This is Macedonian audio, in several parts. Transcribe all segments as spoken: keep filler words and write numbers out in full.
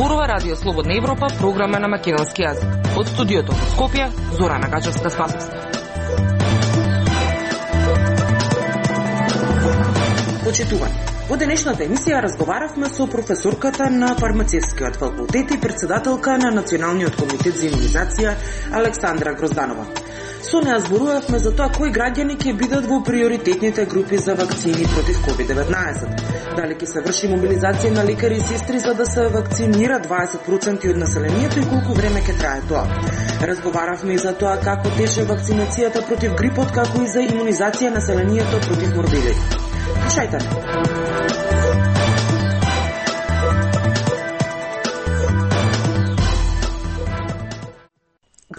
зборува Радио Слободна Европа, програма на македонски јазик. Од студиото во Скопје, Зорана Гачевска-Спасовска. Почитувани, во денешната емисија разговаравме со професорката на фармацевскиот факултет и председателка на Националниот комитет за имунизација Александра Грозданова. Со неа зборувавме за тоа кои граѓани ќе бидат во приоритетните групи за вакцини против ковид деветнаесет. Дали ќе се врши мобилизација на лекари и сестри за да се вакцинира дваесет проценти од населението и колку време ќе трае тоа. Разговаравме и за тоа како тече вакцинацијата против грипот, како и за имунизација населението против морбили. Слушајте.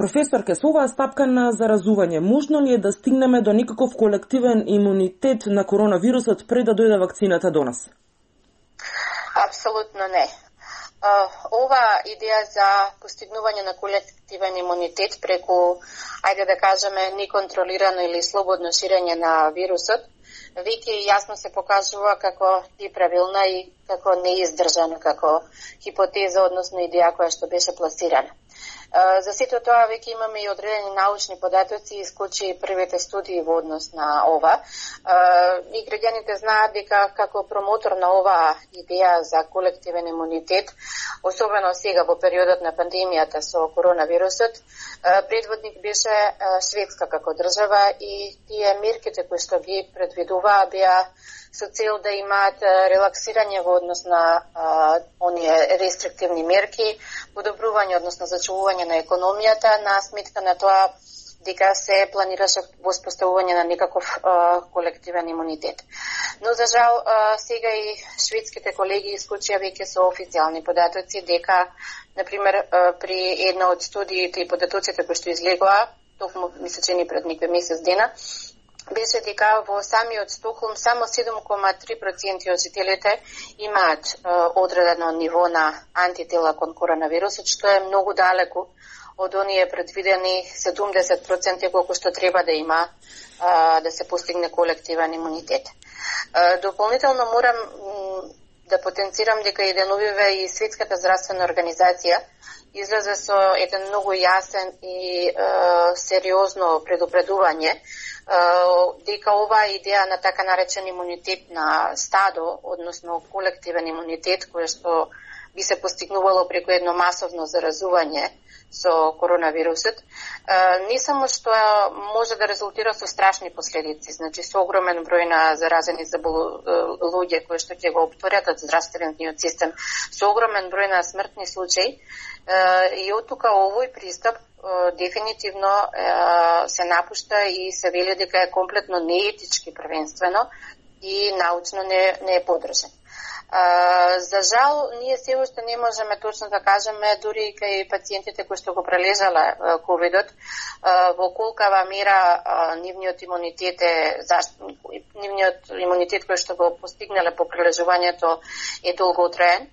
Професорке, со оваа стапка на заразување, можно ли е да стигнеме до некаков колективен имунитет на коронавирусот пред да дојде вакцината до нас? Апсолутно не. Ова идеја за постигнување на колективен имунитет преку, ајде да кажеме, неконтролирано или слободно ширење на вирусот, веќе јасно се покажува како неправилна и како неиздржана како хипотеза, односно идеја која што беше пласирана. За сето тоа веќе имаме и одредени научни податоци и исклучи првите студии во однос на ова. И граѓаните знаат дека како промотор на оваа идеја за колективен имунитет, особено сега во периодот на пандемијата со коронавирусот, предводник беше Шведска како држава и тие мерките кои што ги предвидуваа беа со цел да имаат релаксирање во однос на а, оние рестриктивни мерки, подобрување, односно зачувување на економијата, на сметка на тоа дека се планираше воспоставување на некаков а, колективен имунитет. Но за жал а, сега и шведските колеги исклучија веќе со официјални податоци дека, например, а, при една од студиите и податоците кои што излегоа, токму мисля че ни пред некој месец дена, беше дека во самиот Стокхолм само седум кома три проценти од жителите имаат е, одредено ниво на антитела кон коронавирусот, што е многу далеку од оние предвидени седумдесет проценти колку што треба да има е, да се постигне колективен имунитет. Е, дополнително морам м, да потенцирам дека и деновиве и Светската здравствена организација излезе со еден многу јасен и е, сериозно предупредување дека оваа идеја на така наречен имунитет на стадо, односно колективен имунитет, кој што би се постигнувало преку едно масовно заразување со коронавирусот, не само што може да резултира со страшни последици, значи со огромен број на заразени луѓе кои што ќе го опторетат здравствениот систем, со огромен број на смртни случаи, и од тука овој пристап дефинитивно се напушта и се вели дека е комплетно неетички првенствено и научно не, не е подржан. За жал, ние се уште не можеме точно да кажеме, дури и кај пациентите кои што го прележале ковидот, во колкава мера нивниот имунитет е нивниот имунитет кој што го постигнале по прележувањето е долготраен,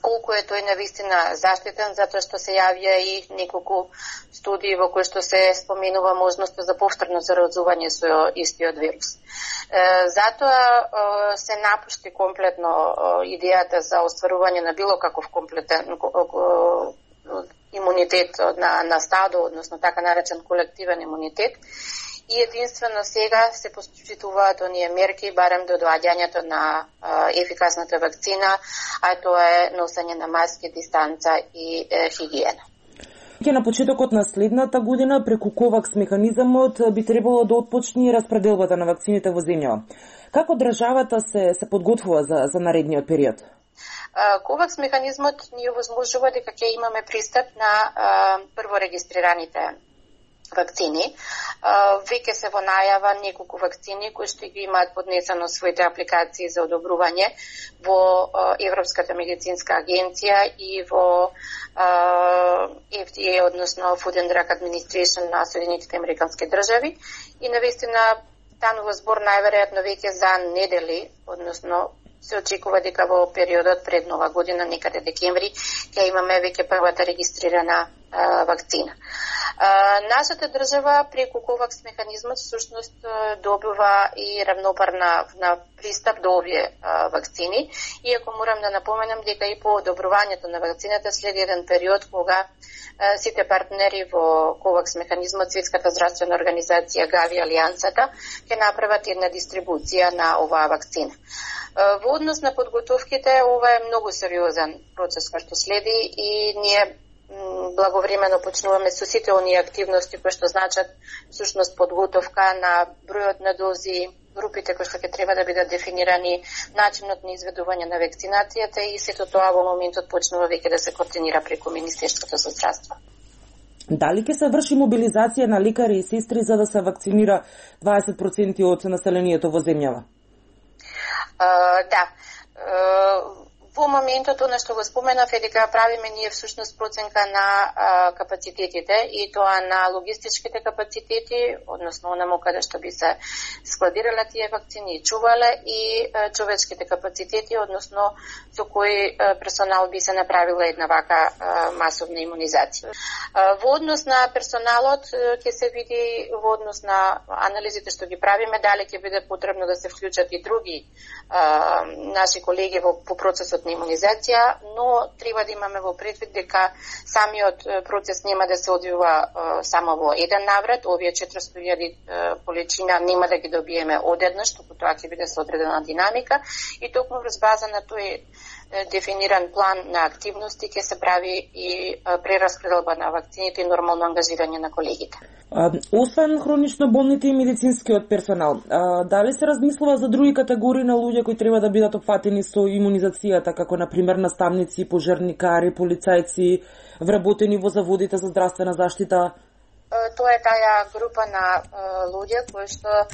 колку е тој навистина заштитен, затоа што се јавија и неколку студии во кои што се споменува можноста за повторно заразување со истиот вирус. Затоа се напушти комплетно идејата за остварување на било каков комплетен имунитет на, на стадо, односно така наречен колективен имунитет. И единствено сега се почитуваат оние мерки, барем до доаѓањето на а, ефикасната вакцина, а тоа е носење на маски, дистанца и е, хигиена. Ке на почетокот на следната година преку ковакс механизмот би требало да отпочне распределбата на вакцините во земјава. Како државата се се подготвува за за наредниот период? ковакс механизмот ни овозможува дека ќе имаме пристап на а, прво регистрираните вакцини. Веќе се во најава неколку вакцини кои што ги имаат поднесено своите апликации за одобрување во Европската медицинска агенција и во Ф Д А, односно Food and Drug Administration на Соединетите американски држави. И навистина станува збор најверојатно веќе за недели, односно се очекува дека во периодот пред нова година, некаде декември, ќе имаме веќе првата регистрирана а, вакцина. Нашата држава преку ковакс механизмот всушност добива и равнопарна на пристап до овие вакцини, иако морам да напоменам дека и по одобрувањето на вакцината следи еден период кога сите партнери во ковакс механизмот, Светската здравствена организација, ГАВИ, Алијансата, ќе направат една дистрибуција на оваа вакцина. Во однос на подготовките, ова е многу сериозен процес кој што следи и ние благовремено почнуваме со сите оние активности кои што значат всушност подготовка на бројот на дози, групите кои што ќе треба да бидат дефинирани, начинот на изведување на вакцинацијата и сето тоа во моментот почнува веќе да се координира преку Министерството за здравство. Дали ќе се врши мобилизација на лекари и сестри за да се вакцинира дваесет проценти од населението во земјава? Uh, да. Uh, Во моментот, она што го споменав е дека правиме ние всушност проценка на а, капацитетите и тоа на логистичките капацитети, односно онаму каде што би се складирала тие вакцини и чувале, и а, човечките капацитети, односно со кој а, персонал би се направила една вака а, масовна имунизација. А, во однос на персоналот ќе се види во однос на анализите што ги правиме, дали ќе биде потребно да се вклучат и други а, наши колеги во по процесот на имунизација, но треба да имаме во предвид дека самиот процес нема да се одвива е, само во еден наврат, овие четиристотини илјади количина нема да ги добиеме одеднаш, туку тоа ќе биде со одредена динамика и токму врз база на тој дефиниран план на активности ќе се прави и прераспределба на вакцините и нормално ангажирање на колегите. А, освен хронично болните и медицинскиот персонал, а, дали се размислува за други категории на луѓе кои треба да бидат опфатени со имунизацијата, како на пример наставници, пожарникари, полицајци, вработени во заводите за здравствена заштита? Тоа е таа група на е, луѓе кои што е,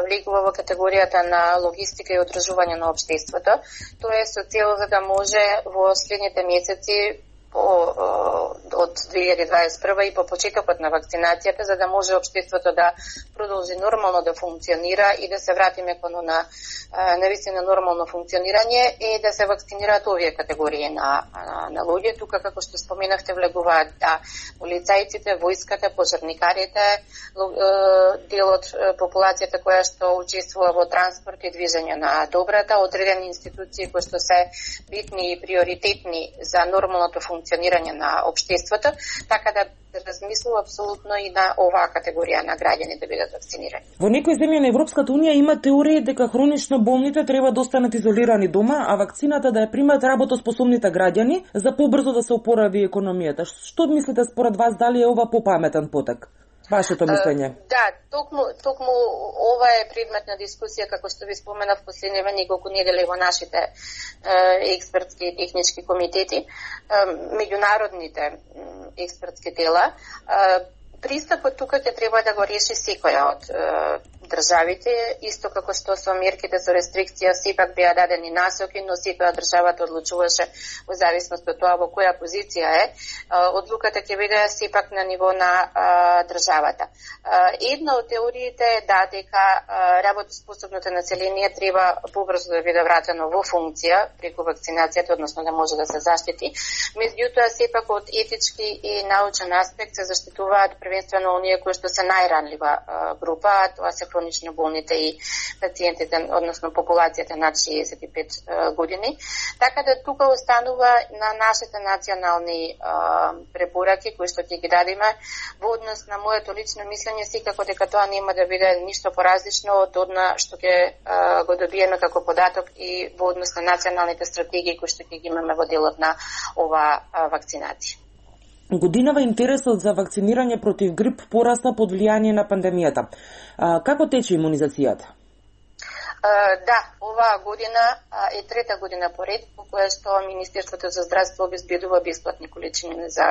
влегува во категоријата на логистика и одржување на општеството. Тоа е со цел за да може во следните месеци од две илјади дваесет и прва и по почетокот на вакцинацијата, за да може општеството да продолжи нормално да функционира и да се вратиме кон на навистина нормално функционирање и да се вакцинираат овие категории на, на, на луѓе. Тука, како што споменавте, влегуваат да, полицајците, војската, пожарникарите, дел од популацијата која што учествува во транспорт и движење на добрата, одредени институции кои што се битни и приоритетни за нормалното функционирање на општеството, така да размислува апсолутно и на оваа категорија на граѓани да бидат вакцинирани. Во некои земји на Европската унија има теорија дека хронично болните треба да останат изолирани дома, а вакцината да ја примат работоспособните граѓани за побрзо да се опорави економијата. Што мислите според вас, дали е ова попаметен потек? Вашето мислење? Uh, да, токму, токму ова е предмет на дискусија, како што ви споменав последниве неколку недели во нашите uh, експертски и технички комитети, uh, меѓународните uh, експертски тела. Uh, Пристапот тука ќе треба да го реши секоја од uh, државите, исто како што со мерките со рестрикција сепак беа дадени насоки, но секоја државата одлучуваше во зависност од тоа во која позиција е. Одлуката ќе биде сепак на ниво на а, државата. А, една од теориите е да дека а, работоспособното население треба побрзо да биде вратено во функција преку вакцинацијата, односно да може да се заштити. Меѓутоа сепак од етички и научен аспект се заштитуваат првенствено оние кои што се најранлива а, група, а тоа се хронично болните и пациентите, односно популацијата над шеесет и пет години. Така да тука останува на нашите национални а, препораки кои што ќе ги дадеме во однос на моето лично мислење, секако дека тоа нема да биде ништо поразлично од одна што ќе а, го добиеме како податок и во однос на националните стратегии кои што ќе ги имаме во делот на ова а, вакцинација. Годинава интересот за вакцинирање против грип порасна под влијание на пандемијата. А, како тече имунизацијата? Uh, да, оваа година uh, е трета година поред по која што Министерството за здравство обезбедува бесплатни количини за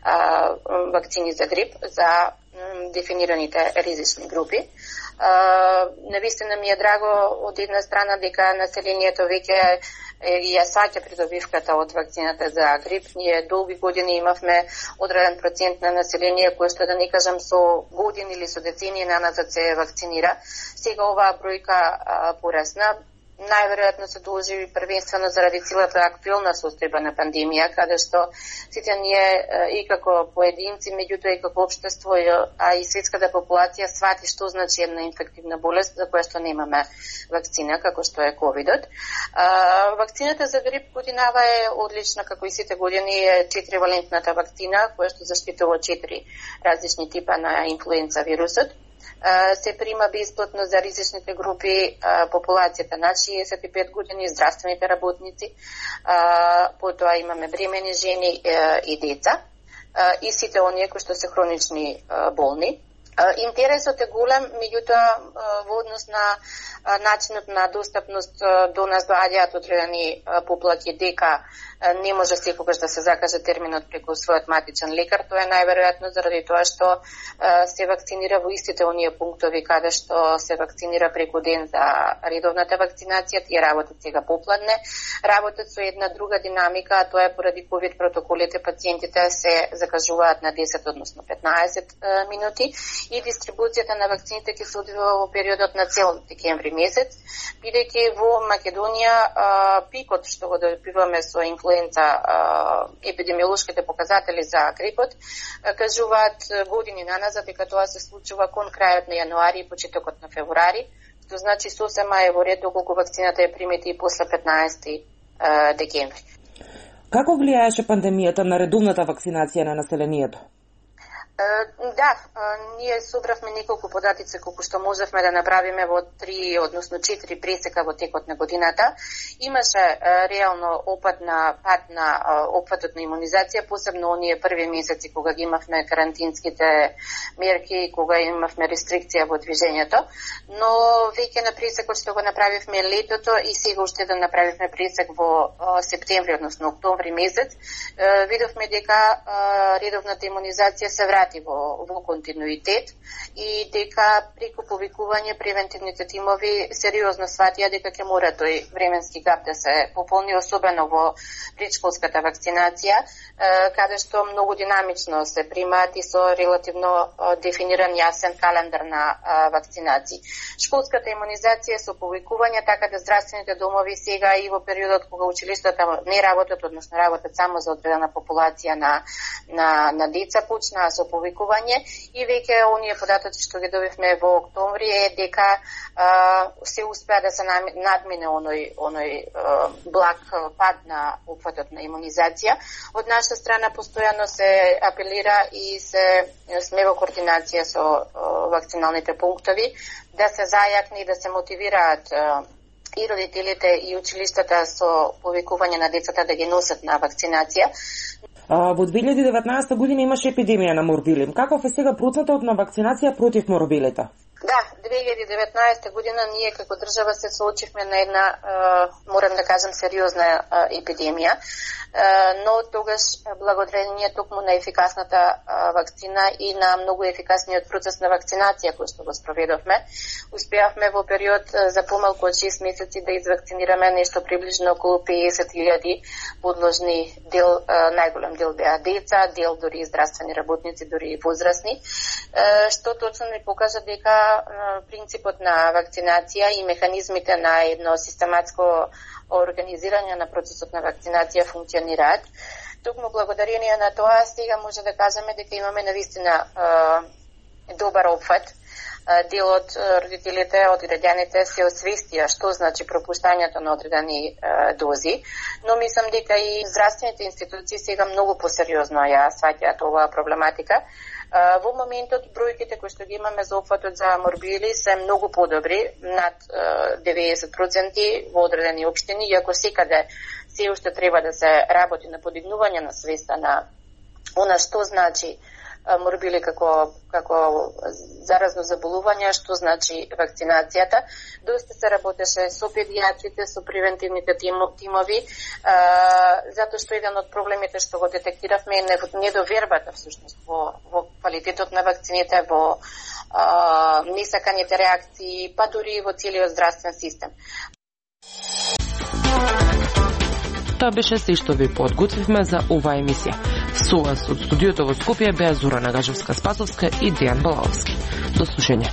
uh, вакцини за грип за um, дефинираните ризични групи. Uh, навистина ми е драго од една страна дека населението веќе ја сваќа придобивката од вакцината за грип. Ние долги години имавме одреден процент на население кое што, да не кажам, со години или со децении наназад се вакцинира. Сега оваа бројка а, порасна. најверојатно се должи првенствено заради целата актуелна состојба на пандемија, каде што сите ние и како поединци, меѓутоа и како општество, а и светската популација свати што значи една инфективна болест за која што немаме вакцина, како што е ковидот. Вакцината за грип годинава е одлична, како и сите години, е четиривалентната вакцина, која што заштитува четири различни типа на инфлуенца вирусот. Се прима бесплатно за ризичните групи популацијата над шеесет и пет години, здравствените работници, потоа имаме бремени жени и деца и сите оние кои што се хронични болни. Интересот е голем, меѓутоа во однос на начинот на достапност до нас доаѓаат одредени поплаки дека не може секогаш да се закаже терминот преку својот матичен лекар. Тоа е најверојатно заради тоа што се вакцинира во истите оние пунктови каде што се вакцинира преку ден за редовната вакцинација. Тие работат сега попладне, работат со една друга динамика, а тоа е поради ковид протоколите, пациентите се закажуваат на десет, односно петнаесет минути и дистрибуцијата на вакцините ќе се одвива во периодот на цел декември месец, бидејќи во Македонија пикот што го добиваме со инфлуенца, епидемиолошките показатели за грипот кажуваат години наназад дека тоа се случува кон крајот на јануари и почетокот на февруари, што значи сосема е во ред доколку вакцината е примета и после петнаесети декември. Како влијаеше пандемијата на редовната вакцинација на населението? Да, ние собравме неколку податици колку што можевме да направиме во три, односно четири пресека во текот на годината. Имаше реално опад на пад на опфатот на имунизација, посебно оние први месеци кога ги имавме карантинските мерки, кога имавме рестрикција во движењето, но веќе на пресекот што го направивме летото и сега уште да направивме пресек во септември, односно октомври месец, видовме дека редовната имунизација се врати Во, во континуитет и дека преку повикување превентивните тимови сериозно сватија дека ќе мора тој временски гап да се пополни, особено во предшколската вакцинација, каде што многу динамично се примаат и со релативно дефиниран јасен календар на вакцинации. Школската имунизација со повикување, така да здравствените домови сега и во периодот кога училиштата не работат, односно работат само за одредена популација на, на, на деца, почнаа со повикување и веќе оние податоци што ги добивме во октомври е дека а, се успеа да се надмине оној, оној а, благ пад на опфатот на имунизација. Од наша страна постојано се апелира и се сме во координација со а, вакциналните пунктови да се зајакне и да се мотивираат а, и родителите и училиштата со повикување на децата да ги носат на вакцинација. Во две илјади и деветнаесета година имаше епидемија на морбили. Каков е сега процентот на вакцинација против морбилите? Да, две илјади и деветнаесета година ние како држава се соочивме на една, морам да кажам, сериозна епидемија, но тогаш благодарение токму на ефикасната вакцина и на многу ефикасниот процес на вакцинација кој што го спроведовме, успеавме во период за помалку од шест месеци да извакцинираме нешто приближно околу песет илјади подложни, дел, најголем дел беа деца, дел дори и здравствени работници, дори и возрастни, што точно ни покажа дека принципот на вакцинација и механизмите на едно систематско организирање на процесот на вакцинација функционираат. Токму благодарение на тоа сега може да кажеме дека имаме навистина добар опфат. Дел од родителите, од граѓаните се освестија што значи пропуштањето на одредени дози, но мислам дека и здравствените институции сега многу посериозно ја сваќаат оваа проблематика. Во моментот бројките кои што ги имаме за опфатот за морбили се многу подобри, над деветдесет проценти во одредени општини, иако секаде се уште треба да се работи на подигнување на свеста на она што значи морбили како, како заразно заболување, што значи вакцинацијата. Доста се работеше со педијатрите, со превентивните тимови, затоа што еден од проблемите што го детектиравме е недовербата всушност во, во квалитетот на вакцините, во а, несаканите реакции, па дури во целиот здравствен систем. Тоа беше се што ви подготвивме за оваа емисија. Со вас од студиото во Скопје беа Зорана Гачевска-Спасовска и Дејан Балаовски. До слушање.